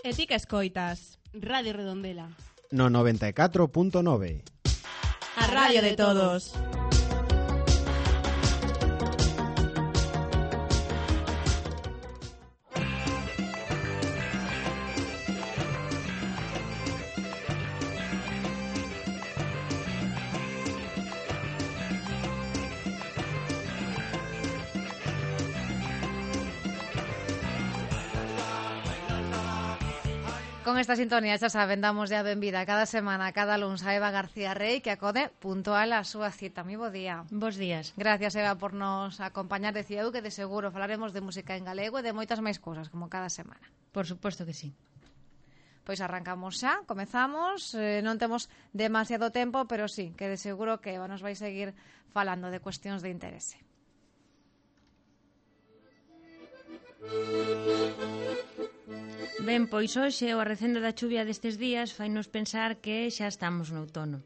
E ti que escoitas? Radio Redondela. No 94.9. A radio de todos. Con esta sintonía, xa saben, damos a benvida cada semana, cada luns a Eva García Rey, que acode puntual a súa cita. Moi bo día. Bos días. Gracias, Eva, por nos acompañar. Decía eu que de seguro falaremos de música en galego e de moitas máis cousas, como cada semana. Por suposto que sí. Pois arrancamos xa, comezamos. Non temos demasiado tempo, pero sí, que de seguro que Eva nos vai seguir falando de cuestións de interese. Ben, pois hoxe o arrecendo da chuvia destes días fainos pensar que xa estamos no outono.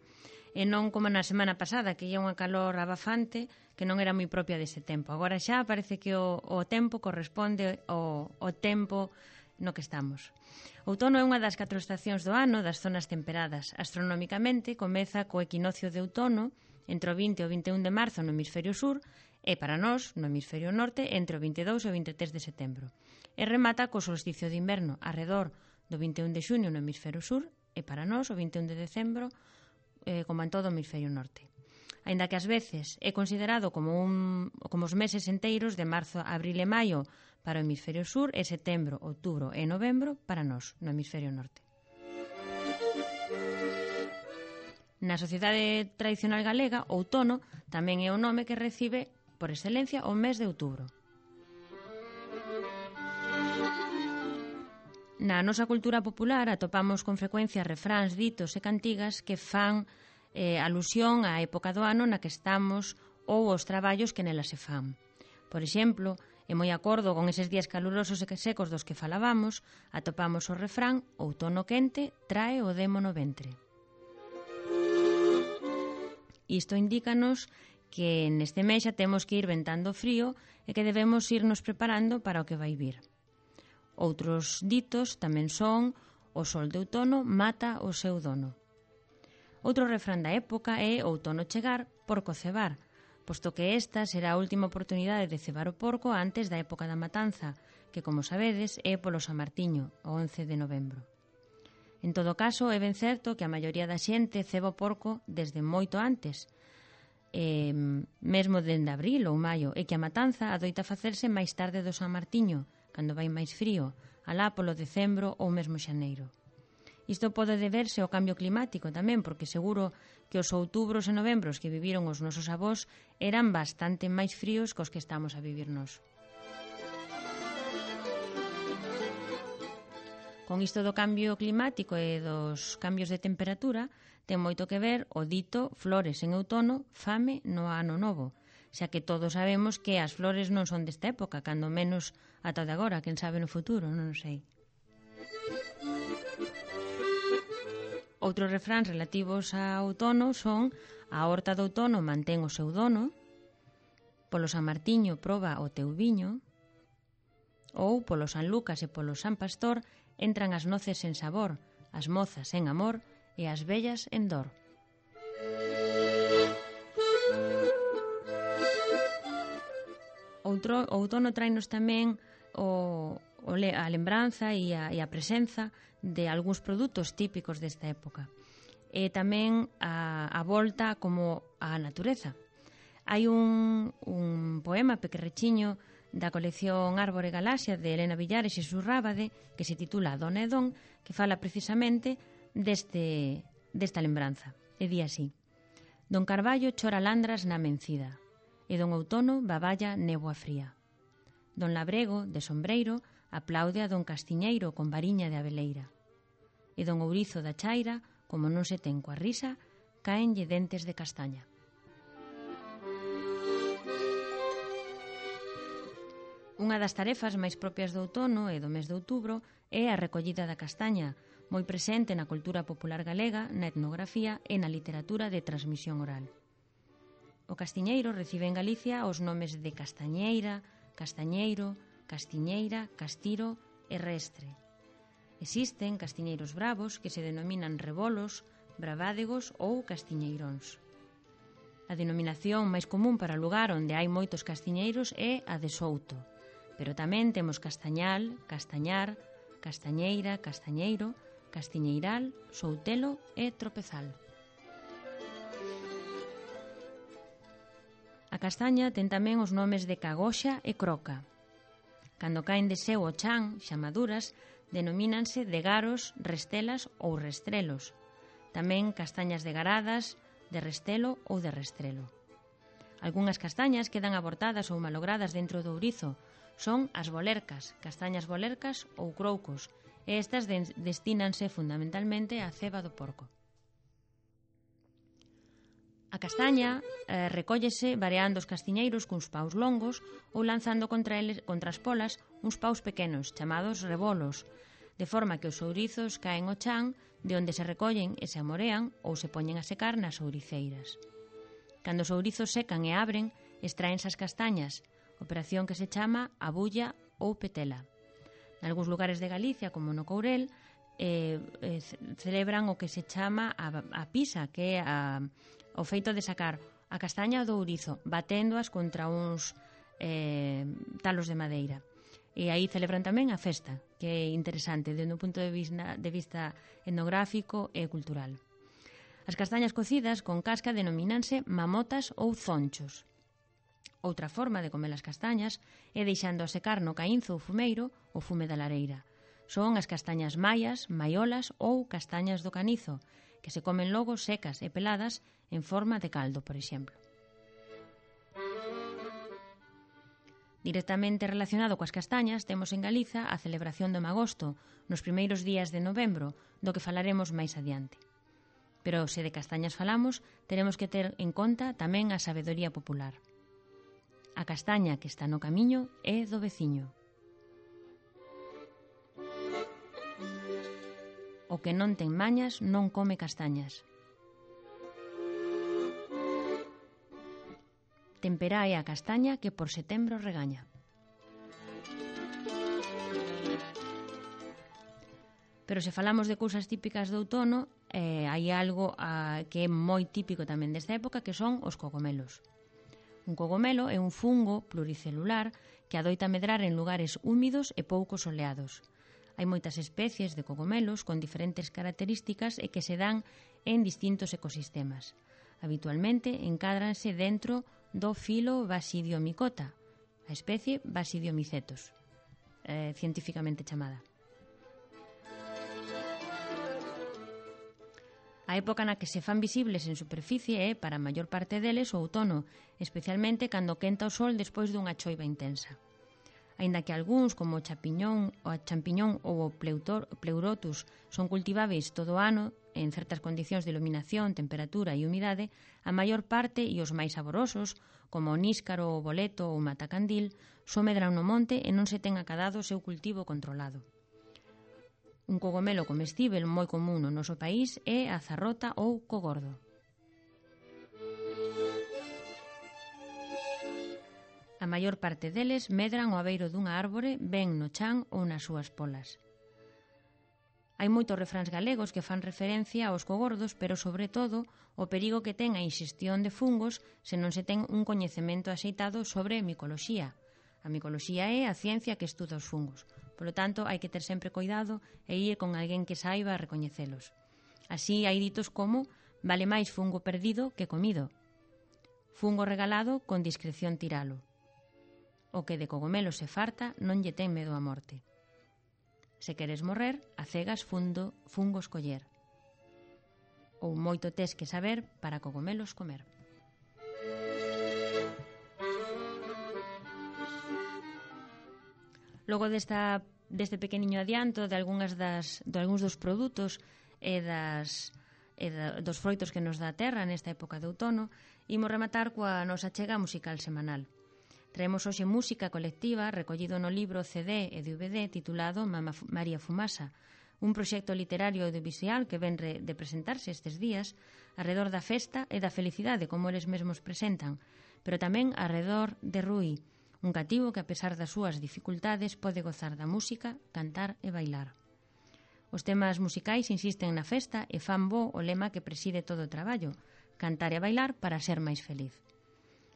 E non como na semana pasada, que ia unha calor abafante que non era moi propia deste tempo. Agora xa parece que o tempo corresponde ao tempo no que estamos. O outono é unha das 4 estacións do ano das zonas temperadas. Astronómicamente comeza co equinoccio de outono entre o 20 e o 21 de marzo no hemisferio sur e para nós, no hemisferio norte, entre o 22 e o 23 de setembro. E remata co solsticio de inverno arredor do 21 de xuño no hemisferio sur e para nós o 21 de decembro como en todo o hemisferio norte. Aínda que ás veces é considerado como os meses enteiros de marzo, abril e maio para o hemisferio sur e setembro, outubro e novembro para nós no hemisferio norte. Na sociedade tradicional galega, outono tamén é o nome que recibe por excelencia o mes de outubro. Na nosa cultura popular atopamos con frecuencia refráns, ditos e cantigas que fan alusión á época do ano na que estamos ou aos traballos que nela se fan. Por exemplo, e moi acordo con eses días calurosos e secos dos que falábamos, atopamos o refrán outono quente trae o demo no ventre. Isto indícanos que neste mes xa temos que ir ventando frío e que debemos irnos preparando para o que vai vir. Outros ditos tamén son o sol de outono mata o seu dono. Outro refrán da época é outono chegar, porco cebar, posto que esta será a última oportunidade de cebar o porco antes da época da matanza, que, como sabedes, é polo San Martiño, o 11 de novembro. En todo caso, é ben certo que a maioría da xente ceba o porco desde moito antes, mesmo dende abril ou maio, e que a matanza adoita facerse máis tarde do San Martiño, cando vai máis frío, alá polo decembro ou mesmo xaneiro. Isto pode deberse ao cambio climático tamén, porque seguro que os outubros e novembros que viviron os nosos avós eran bastante máis fríos que os que estamos a vivir nós. Con isto do cambio climático e dos cambios de temperatura, ten moito que ver o dito flores en outono, fame no ano novo, xa que todos sabemos que as flores non son desta época, cando menos ata de agora, quen sabe no futuro, non sei. Outros refráns relativos ao outono son a horta do outono mantén o seu dono, polo San Martiño proba o teu viño, ou polo San Lucas e polo San Pastor entran as noces en sabor, as mozas en amor e as vellas en dor. O outono traenos tamén a lembranza e a presenza de algúns produtos típicos desta época. E tamén a volta como a natureza. Hai un poema pequerrechiño da colección Árbore Galaxia de Elena Villares e Xesús Rábade que se titula Dona e Don, que fala precisamente desta lembranza. E di así: Don Carballo chora landras na mencida e don Outono baballa néboa fría. Don Labrego, de sombreiro, aplaude a don Castiñeiro con variña de abeleira. E don Ourizo da Chaira, como non se ten coa risa, caenlle dentes de castaña. Unha das tarefas máis propias do outono e do mes de outubro é a recollida da castaña, moi presente na cultura popular galega, na etnografía e na literatura de transmisión oral. O castiñeiro recibe en Galicia os nomes de castañeira, castañeiro, castiñeira, castiro e restre. Existen castiñeiros bravos que se denominan rebolos, bravádegos ou castiñeiróns. A denominación máis común para o lugar onde hai moitos castiñeiros é a de Souto, pero tamén temos castañal, castañar, castañeira, castañeiro, castiñeiral, soutelo e tropezal. A castaña ten tamén os nomes de cagoxa e croca. Cando caen de seu o chan, xa maduras, denomínanse de garos, restelas ou restrelos. Tamén castañas de garadas, de restelo ou de restrelo. Algunhas castañas quedan abortadas ou malogradas dentro do ourizo. Son as bolercas, castañas bolercas ou croucos, e estas destínanse fundamentalmente á ceba do porco. A castaña recóllese vareando os castiñeiros cuns paus longos ou lanzando contra as polas uns paus pequenos, chamados rebolos, de forma que os ourizos caen ao chan, de onde se recollen e se amorean ou se poñen a secar nas ouriceiras. Cando os ourizos secan e abren, extraense as castañas, operación que se chama abulla ou petela. Nalgúns lugares de Galicia, como no Courel, celebran o que se chama a pisa, que é o feito de sacar a castaña do ourizo, baténdoas contra uns talos de madeira. E aí celebran tamén a festa, que é interesante desde un punto de vista etnográfico e cultural. As castañas cocidas con casca denomínanse mamotas ou zonchos. Outra forma de comer as castañas é deixando a secar no caínzo ou fumeiro o fume da lareira. Son as castañas maias, maiolas ou castañas do canizo, que se comen logo secas e peladas en forma de caldo, por exemplo. Directamente relacionado coas castañas, temos en Galiza a celebración do magosto, nos primeiros días de novembro, do que falaremos máis adiante. Pero se de castañas falamos, teremos que ter en conta tamén a sabedoría popular. A castaña que está no camiño é do veciño. O que non ten mañas non come castañas. Temperá é a castaña que por setembro regaña. Pero se falamos de cousas típicas do outono, hai algo que é moi típico tamén desta época, que son os cogomelos. Un cogomelo é un fungo pluricelular que adoita medrar en lugares húmidos e pouco soleados. Hai moitas especies de cogomelos con diferentes características e que se dan en distintos ecosistemas. Habitualmente encádranse dentro do filo Basidiomycota, a especie Basidiomycetos, científicamente chamada. A época na que se fan visibles en superficie é, para a maior parte deles, o outono, especialmente cando quenta o sol despois dunha choiva intensa. Aínda que algúns, como o champiñón ou o pleurotus, son cultiváveis todo o ano en certas condicións de iluminación, temperatura e humidade, a maior parte e os máis saborosos, como o níscaro, o boleto ou o matacandil, só medran no monte e non se ten acadado o seu cultivo controlado. Un cogomelo comestível moi común no noso país é a zarrota ou cogordo. A maior parte deles medran ao abeiro dunha árbore ben no chan ou nas súas polas. Hai moitos refráns galegos que fan referencia aos cogordos, pero sobre todo o perigo que ten a inxestión de fungos se non se ten un coñecemento axeitado sobre micoloxía. A micoloxía é a ciencia que estuda os fungos. Polo tanto, hai que ter sempre cuidado e ir con alguén que saiba recoñecelos. Así hai ditos como vale máis fungo perdido que comido. Fungo regalado con discreción tiralo. O que de cogomelo se farta non lle ten medo á morte. Se queres morrer, a cegas fungos coller. Ou moito tes que saber para cogomelos comer. Logo deste pequeniño adianto de algúns dos produtos e dos froitos que nos dá a terra nesta época de outono, imos rematar coa nosa chega musical semanal. Traemos hoxe música colectiva recollido no libro CD e DVD titulado María Fumasa, un proxecto literario audiovisual que ven de presentarse estes días arredor da festa e da felicidade, como eles mesmos presentan, pero tamén arredor de Rui, un cativo que, a pesar das súas dificultades, pode gozar da música, cantar e bailar. Os temas musicais insisten na festa e fan bo o lema que preside todo o traballo: cantar e bailar para ser máis feliz.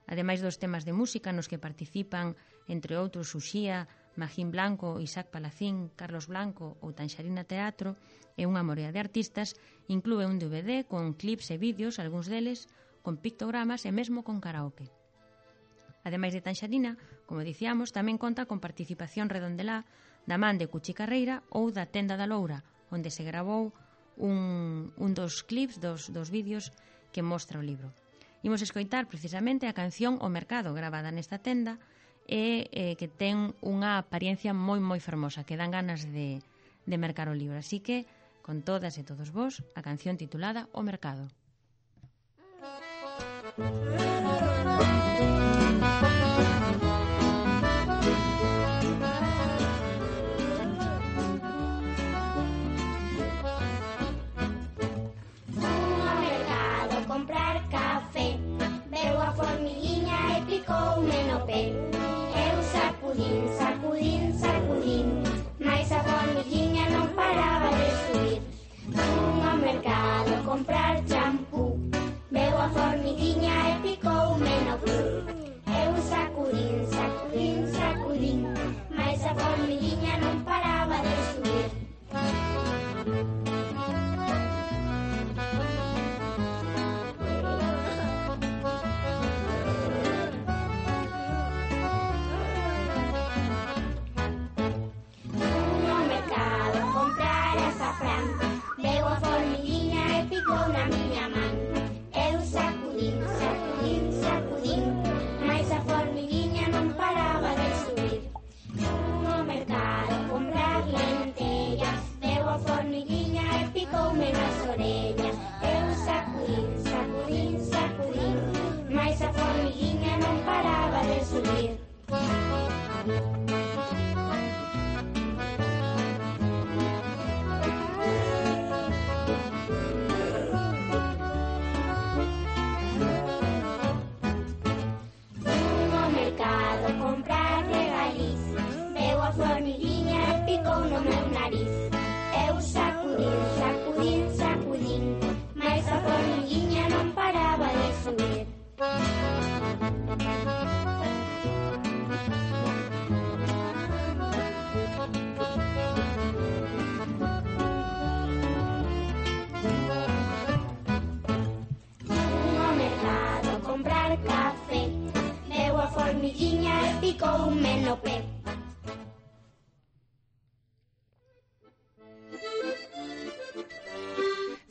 Ademais dos temas de música nos que participan, entre outros, Uxía, Magín Blanco, Isaac Palacín, Carlos Blanco ou Tanxarina Teatro e unha morea de artistas, inclúe un DVD con clips e vídeos, algúns deles con pictogramas e mesmo con karaoke. Ademais de Tanxarina, como dicíamos, tamén conta con participación redondelá da man de Cuchi Carreira ou da Tenda da Loura, onde se gravou un dos clips dos vídeos que mostra o libro. Imos escoitar precisamente a canción O Mercado, gravada nesta tenda, e que ten unha apariencia moi fermosa, que dan ganas de mercar o libro. Así que, con todas e todos vos, a canción titulada O Mercado.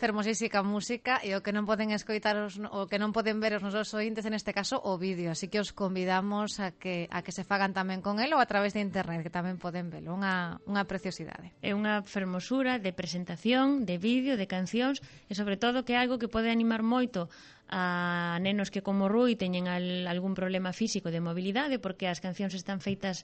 Fermosísima música e o que non poden escoitar o que non poden ver os nosos ointes, en este caso o vídeo, así que os convidamos a que se fagan tamén con el ou a través de internet, que tamén poden velo, unha preciosidade. É unha fermosura de presentación, de vídeo, de cancións e sobre todo que é algo que pode animar moito a nenos que como Rui teñen algún problema físico de mobilidade, porque as cancións están feitas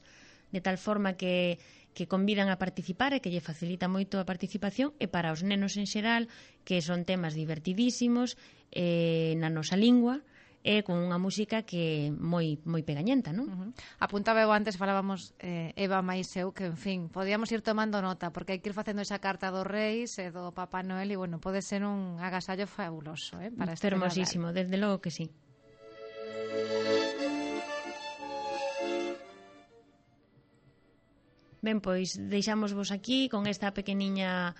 de tal forma que convidan a participar e que lle facilita moito a participación, e para os nenos en xeral, que son temas divertidísimos na nosa lingua e con unha música que é moi pegañenta, non? Apuntaba eu antes, falábamos Eva máis eu, que en fin, podíamos ir tomando nota, porque hai que ir facendo esa carta dos Reis e do Papá Noel e, bueno, pode ser un agasallo fabuloso para este Fermosísimo, Nadal. desde logo que sí. Ben, pois deixámosvos aquí con esta pequeniño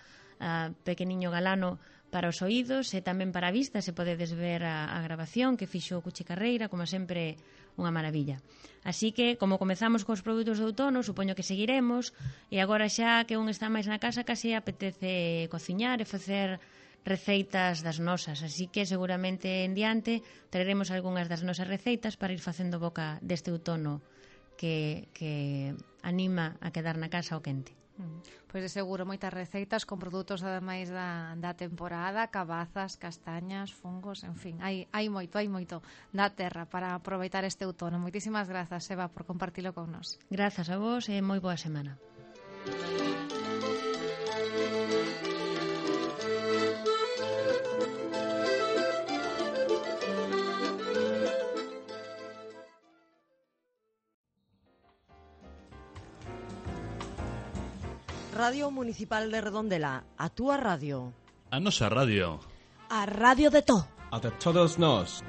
galano para os oídos e tamén para a vista, se podedes ver a grabación que fixo Cuchi Carreira, como sempre unha maravilla. Así que, como comezamos cos produtos de outono, supoño que seguiremos, e agora xa que un está máis na casa, case apetece cociñar e facer receitas das nosas, así que seguramente en diante traeremos algunhas das nosas receitas para ir facendo boca deste outono que anima a quedar na casa ao quente. Pois de seguro moitas receitas con produtos ademais da temporada, cabazas, castañas, fungos, en fin, hai moito da terra para aproveitar este outono. Moitísimas grazas, Eva, por compartilo con nós. Grazas a vos e moi boa semana. Radio Municipal de Redondela, a túa radio. A nosa radio. A radio de to. A de todos nós.